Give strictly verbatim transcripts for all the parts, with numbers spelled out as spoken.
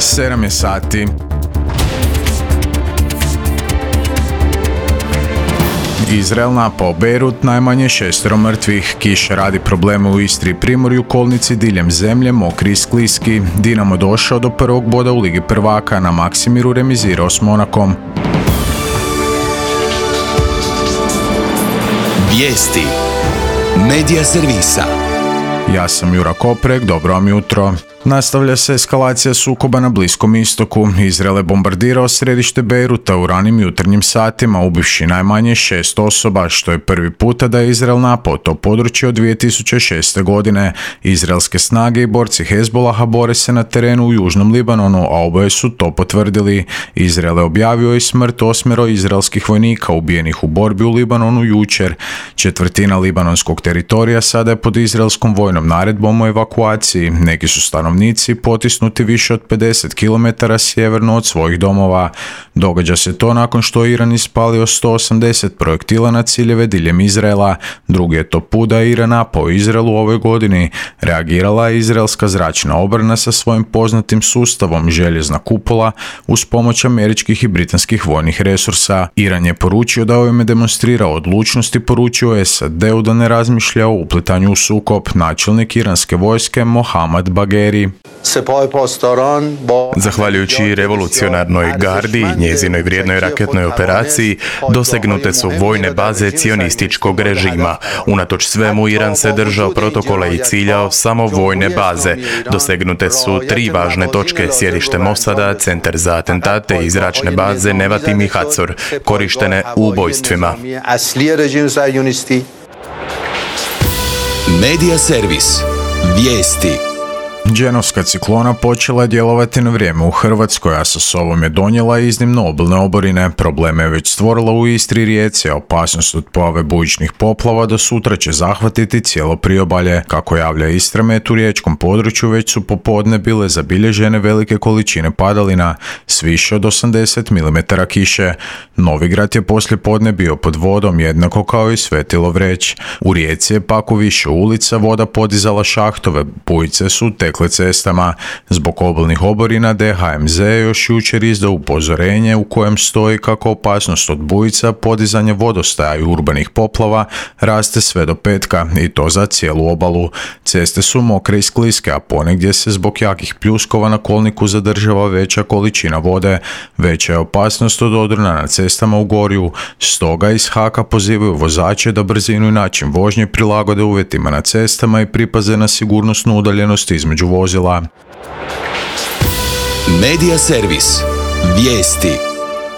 sedam je sati. Izrael napao Beirut, najmanje šestero mrtvih. Kiša radi probleme u Istri i Primorju, kolnici diljem zemlje, mokri i skliski. Dinamo došao do prvog boda u Ligi prvaka, na Maksimiru remizirao s Monakom. Vijesti Medija servisa. Ja sam Jura Koprek, dobro vam jutro. Nastavlja se eskalacija sukoba na Bliskom istoku. Izrael je bombardirao središte Beiruta u ranim jutarnjim satima, ubivši najmanje šest osoba, što je prvi puta da je Izrael napao to područje od dvije tisuće šeste. godine. Izraelske snage i borci Hezbolaha bore se na terenu u južnom Libanonu, a oboje su to potvrdili. Izrael je objavio i smrt osmero izraelskih vojnika ubijenih u borbi u Libanonu jučer. Četvrtina libanonskog teritorija sada je pod izraelskom vojnom naredbom o evakuaciji. Neki su stanovnici potisnuti više od pedeset kilometara sjeverno od svojih domova. Događa se to nakon što je Iran ispalio sto osamdeset projektila na ciljeve diljem Izraela. Drugi je to put da je Iran napao Izrael u ovoj godini. Reagirala je izraelska zračna obrana sa svojim poznatim sustavom željezna kupola uz pomoć američkih i britanskih vojnih resursa. Iran je poručio da ovime demonstrira odlučnost i poručio S A D-u da ne razmišlja o uplitanju u sukob. Načelnik iranske vojske Mohammad Bagheri. Zahvaljujući revolucionarnoj gardi i njezinoj vrijednoj raketnoj operaciji, dosegnute su vojne baze cionističkog režima. Unatoč svemu, Iran se držao protokola i ciljao samo vojne baze. Dosegnute su tri važne točke: sjedište Mosada, centar za atentate i zračne baze Nevatim i Hatzor, korištene u ubojstvima. Medija servis. Vijesti. Dženovska ciklona počela je djelovati na vrijeme u Hrvatskoj, a sa sobom je donijela iznimno obilne oborine. Probleme je već stvorila u Istri i Rijeci, a opasnost od pojave bujičnih poplava do sutra će zahvatiti cijelo priobalje. Kako javlja Istramet, u riječkom području već su popodne bile zabilježene velike količine padalina s više od osamdeset milimetara kiše. Novigrad je poslije podne bio pod vodom, jednako kao i Svetilo Vreć. U Rijeci je pak u više ulica voda podizala šahtove, bujice su tekle cestama. Zbog obilnih oborina D H M Z je još jučer izdao upozorenje u kojem stoji kako opasnost od bujica, podizanje vodostaja i urbanih poplava raste sve do petka, i to za cijelu obalu. Ceste su mokre i skliske, a ponegdje se zbog jakih pljuskova na kolniku zadržava veća količina vode. Veća je opasnost od odrona na cestama u Gorju. Stoga iz Haka pozivaju vozače da brzinu i način vožnje prilagode uvjetima na cestama i pripaze na sigurnosnu udaljenost između vozila. Medija servis. Vijesti.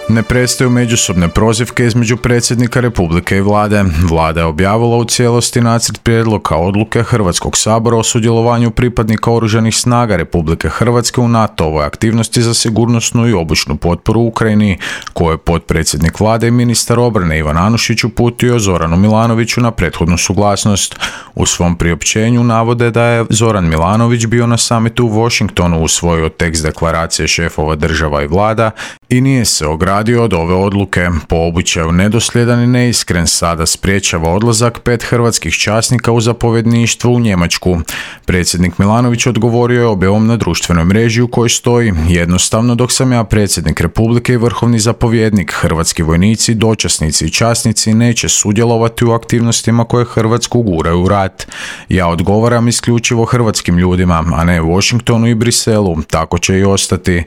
Ne prestaju međusobne prozivke između predsjednika Republike i vlade. Vlada je objavila u cijelosti nacrt prijedloga odluke Hrvatskog sabora o sudjelovanju pripadnika Oružanih snaga Republike Hrvatske u NATO-ovoj aktivnosti za sigurnosnu i obučnu potporu Ukrajini, koju je potpredsjednik vlade i ministar obrane Ivan Anušić uputio Zoranu Milanoviću na prethodnu suglasnost. U svom priopćenju navode da je Zoran Milanović bio na samitu u Washingtonu, usvojio tekst deklaracije šefova država i vlada i nije se ogradio od ove odluke. Po običaju nedosljedan i neiskren sada spriječava odlazak pet hrvatskih časnika u zapovjedništvo u Njemačku. Predsjednik Milanović odgovorio je objavom na društvenoj mreži u kojoj stoji: jednostavno, dok sam ja predsjednik Republike i vrhovni zapovjednik, hrvatski vojnici, dočasnici i časnici neće sudjelovati u aktivnostima koje Hrvatsku guraju u rat. Ja odgovaram isključivo hrvatskim ljudima, a ne Washingtonu i Briselu, tako će i ostati.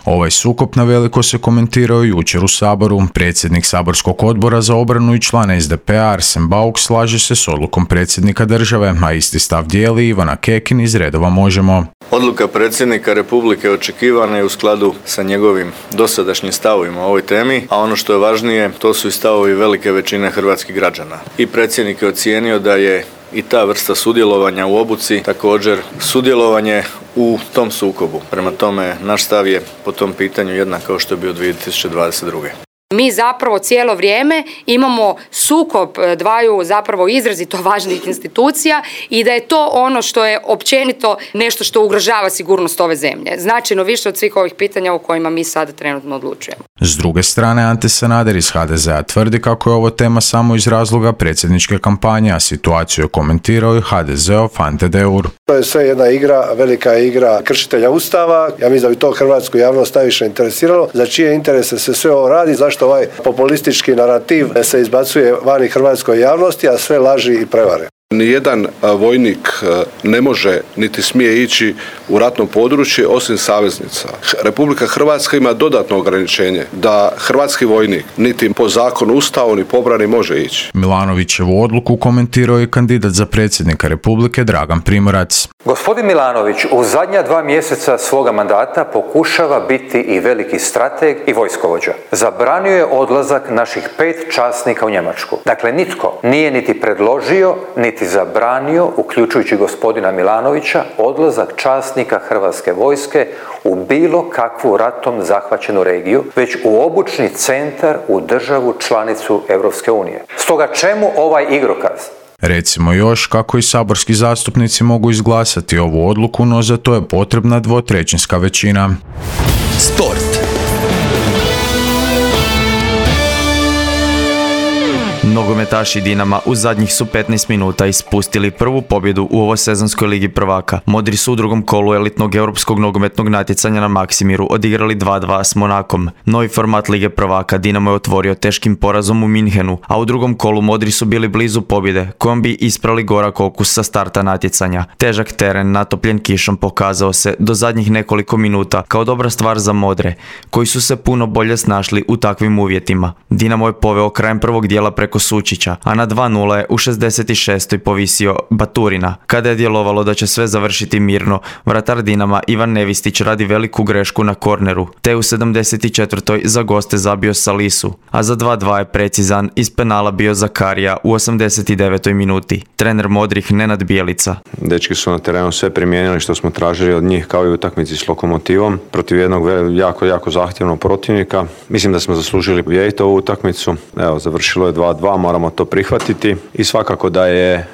Ovaj sukob na veliko se komentirao jučer u Saboru. Predsjednik saborskog odbora za obranu i član S D P-a Arsen Bauk slaže se s odlukom predsjednika države, a isti stav dijeli Ivana Kekin iz redova Možemo. Odluka predsjednika Republike očekivana je u skladu sa njegovim dosadašnjim stavovima o ovoj temi, a ono što je važnije, to su i stavovi velike većine hrvatskih građana. I predsjednik je ocijenio da je i ta vrsta sudjelovanja u obuci također sudjelovanje u tom sukobu. Prema tome, naš stav je po tom pitanju jednak kao što je bio dvije tisuće dvadeset druge. Mi zapravo cijelo vrijeme imamo sukob dvaju zapravo izrazito važnih institucija i da je to ono što je općenito nešto što ugrožava sigurnost ove zemlje. Značajno više od svih ovih pitanja o kojima mi sada trenutno odlučujemo. S druge strane, Ante Sanader iz ha de zea tvrdi kako je ovo tema samo iz razloga predsjedničke kampanje, a situaciju je komentirao i ha de zeov Ante Deur. To je sve jedna igra, velika igra kršitelja Ustava. Ja mislim da bi to hrvatsku javnost najviše interesiralo. Za čije interese se sve ovo radi, zašto ovaj populistički narativ se izbacuje vani hrvatskoj javnosti, a sve laži i prevare. Nijedan vojnik ne može niti smije ići u ratno područje osim saveznica. Republika Hrvatska ima dodatno ograničenje da hrvatski vojnik niti po zakonu Ustavu ni po obrani može ići. Milanovićevu odluku komentirao je kandidat za predsjednika Republike Dragan Primorac. Gospodin Milanović u zadnja dva mjeseca svoga mandata pokušava biti i veliki strateg i vojskovođa. Zabranio je odlazak naših pet časnika u Njemačku. Dakle, nitko nije niti predložio, niti zabranio, uključujući gospodina Milanovića, odlazak časnika Hrvatske vojske u bilo kakvu ratom zahvaćenu regiju, već u obučni centar u državu članicu Europske unije. Stoga čemu ovaj igrokaz? Recimo još kako i saborski zastupnici mogu izglasati ovu odluku, no za to je potrebna dvotrećinska većina. Sport. Nogometaši Dinama u zadnjih su petnaest minuta ispustili prvu pobjedu u ovoj sezonskoj ligi prvaka. Modri su u drugom kolu elitnog europskog nogometnog natjecanja na Maksimiru odigrali dva dva s Monakom. Novi format lige prvaka Dinamo je otvorio teškim porazom u Minhenu, a u drugom kolu Modri su bili blizu pobjede, kojom bi isprali gorak okus sa starta natjecanja. Težak teren natopljen kišom pokazao se do zadnjih nekoliko minuta kao dobra stvar za Modre, koji su se puno bolje snašli u takvim uvjetima. Dinamo je poveo krajem prvog dijela preko Sučića, a na dva nula je u šezdeset šestoj povisio Baturina. Kada je djelovalo da će sve završiti mirno, vratar Dinama Ivan Nevistić radi veliku grešku na korneru, te u sedamdeset četvrtoj za goste zabio Salisu, a za dva dva je precizan iz penala bio Zakarija u osamdeset devetoj minuti. Trener Modrih Nenad Bijelica. Dečki su na terenu sve primijenili što smo tražili od njih, kao i u utakmici s Lokomotivom, protiv jednog jako, jako zahtjevnog protivnika. Mislim da smo zaslužili pobijediti ovu utakmicu. Evo, završilo je dva dva, moramo to prihvatiti i svakako da je e,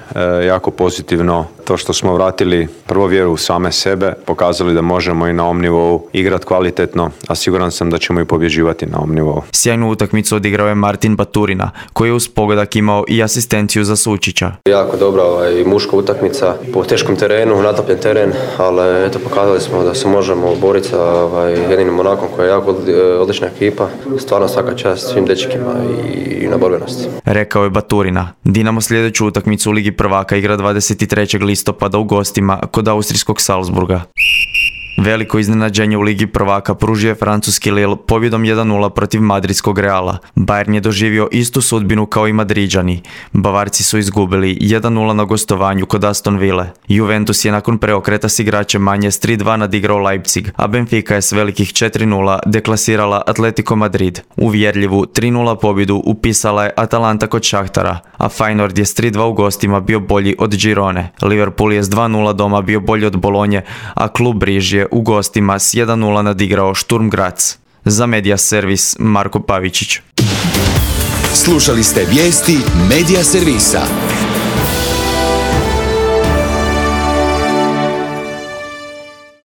jako pozitivno to što smo vratili prvo vjeru u same sebe, pokazali da možemo i na ovom nivou igrati kvalitetno, a siguran sam da ćemo i pobjeđivati na ovom nivou. Sjajnu utakmicu odigrao je Martin Baturina, koji je uz pogodak imao i asistenciju za Sučića. Jako dobra ovaj, muška utakmica po teškom terenu, natopljen teren, ali eto, pokazali smo da se možemo boriti sa ovaj, jednim Monakom koji je jako odlična ekipa. Stvarno svaka čast svim dečkima i, i na borbenosti. Rekao je Baturina. Dinamo sljedeću utakmicu u Ligi prvaka igra dvadeset trećeg listopada u gostima kod austrijskog Salzburga. Veliko iznenađenje u Ligi prvaka pružio je francuski Lille pobjedom jedan nula protiv madridskog Reala. Bayern je doživio istu sudbinu kao i Madriđani. Bavarci su izgubili jedan nula na gostovanju kod Aston Ville. Juventus je nakon preokreta s igračem manje s tri dva nadigrao Leipzig, a Benfica je s velikih četiri nula deklasirala Atletico Madrid. Uvjerljivu tri nula pobjedu upisala je Atalanta kod Šahtara, a Feyenoord je s tri dva u gostima bio bolji od Girone. Liverpool je s dva nula doma bio bolji od Bolonje, a klub Briž je u gostima s jedan nula nadigrao Sturm Graz. Za Media Servis Marko Pavičić. Slušali ste vijesti Media Servisa.